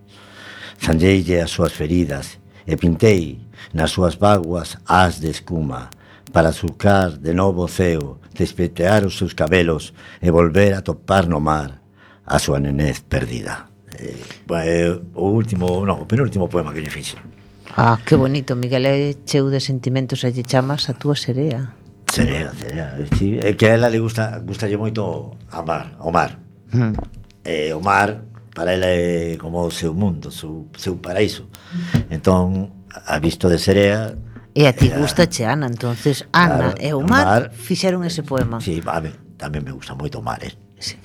Sanlleille as súas feridas e pintei nas súas vaguas as de escuma para surcar de novo o ceo, despetear os seus cabelos e volver a topar no mar a súa nenez perdida. O penúltimo poema que lle fixe. Que bonito, Miguel, é cheo de sentimentos e lle chamas a túa serea. Serea, sí, é que a ela le gustalle moito o mar. O mar para ela é como o seu mundo, o seu paraíso. Entón, a visto de serea. E a ti gustache Ana, entonces Ana e o mar fixeron ese poema. Sí, a mí tamén me gusta moito o mar, Sí.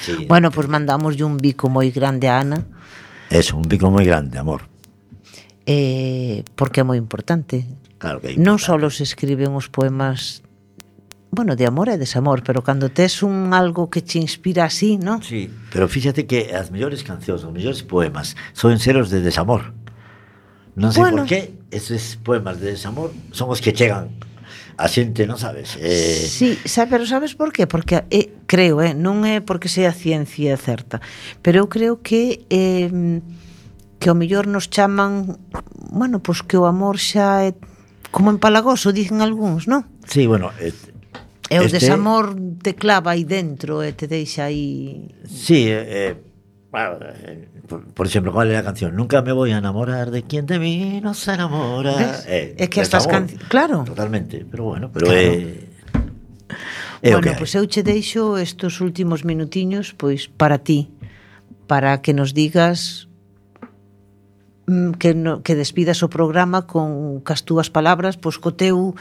Sí. Bueno, pues mandamos un bico moi grande a Ana. Eso, un bico moi grande, amor. Porque é moi importante. Claro que é importante. Non só se escriben os poemas, bueno, de amor e desamor, pero cando tes algo que te inspira así, ¿no? Sí, pero fíxate que as mellores cancións, os mellores poemas son ser os de desamor. Non sei por qué esos poemas de desamor son os que chegan a xente, non sabes? Sí, pero sabes por qué? Porque creo, non é porque sea ciencia certa, pero eu creo que ao mellor nos chaman, bueno, pois que o amor xa é como empalagoso, dicen algúns, non? Sí, bueno, e o desamor te clava aí dentro e te deixa aí. Sí, por exemplo, ¿cuál es la canción? Nunca me voy a enamorar de quien de mí no se enamora. Es que estas canciones, claro. Totalmente, pero bueno, pero bueno, pois eu che deixo estos últimos minutiños pois para ti, para que nos digas que despidas o programa con cas túas palabras, pois co teu,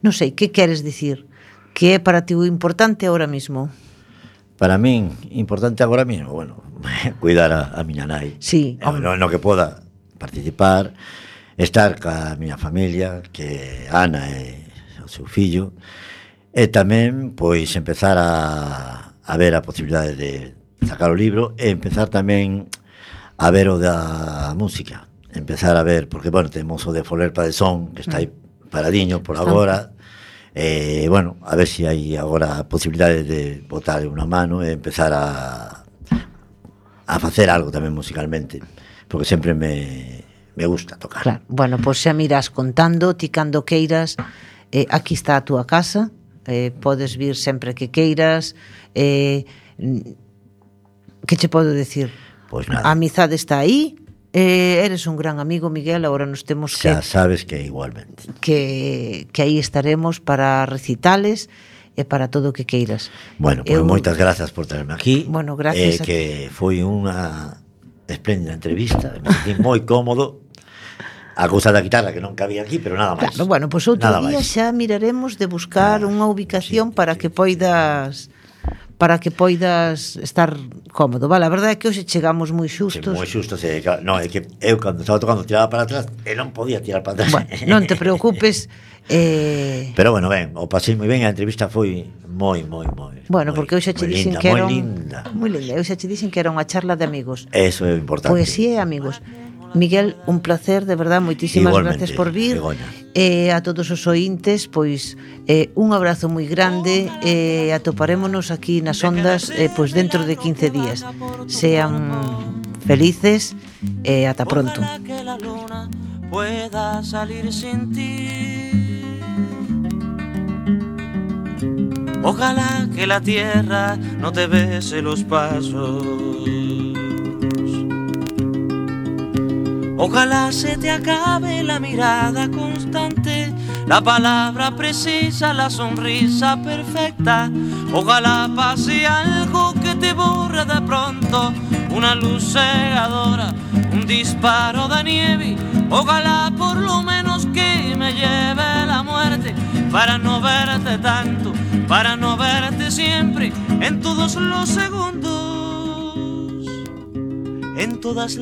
non sei, que queres dicir? Que é para ti o importante agora mismo? Para min, importante agora mismo, bueno, cuidar a miña nai. Sí. No que poda participar, estar ca miña familia, que Ana e o seu fillo, e tamén, pois, empezar a ver a posibilidade de sacar o libro e empezar tamén a ver o da música. Empezar a ver, porque, bueno, temos o de Foler Padesón, que está aí paradiño por agora. Bueno, a ver se hai agora a posibilidade de botar unha mano e empezar a facer algo tamén musicalmente, porque sempre me gusta tocar. Claro. Bueno, pois xa miras contando, ti cando queiras, aquí está a túa casa, podes vir sempre que queiras, que che podo decir? Pois nada. A amizade está aí, Eres un gran amigo, Miguel, ahora nos temos que... Xa sabes que igualmente. Que aí estaremos para recitales e para todo o que queiras. Bueno, pues moitas grazas por traerme aquí. Bueno, gracias. Que foi unha espléndida entrevista, me sentí moi cómodo. A cousa da guitarra que non cabía aquí, pero nada máis. Claro, bueno, pois outro día xa miraremos de buscar unha ubicación para que poidas estar cómodo, vale? A verdade é que hoxe chegamos moi xustos. Moi xustos, non, é que eu cando estaba tocando tiraba para atrás e non podía tirar para atrás. Bueno, non te preocupes. Pero bueno, ben, o pasei moi ben, a entrevista foi moi bueno, porque eu xa che dixen que era moi linda, eu xa che dixen que era unha charla de amigos. Eso é importante. Poesía e amigos. Miguel, un placer, de verdad, moitísimas gracias por vir. A todos os ointes, pois un abrazo moi grande, atoparémonos aquí nas ondas pois dentro de 15 días. Sean felices e ata pronto. Pueda salir sin ti. Ojalá que la tierra no te bese los pasos. Ojalá se te acabe la mirada constante, la palabra precisa, la sonrisa perfecta. Ojalá pase algo que te borre de pronto, una luz cegadora, un disparo de nieve. Ojalá por lo menos que me lleve la muerte, para no verte tanto, para no verte siempre, en todos los segundos, en todas las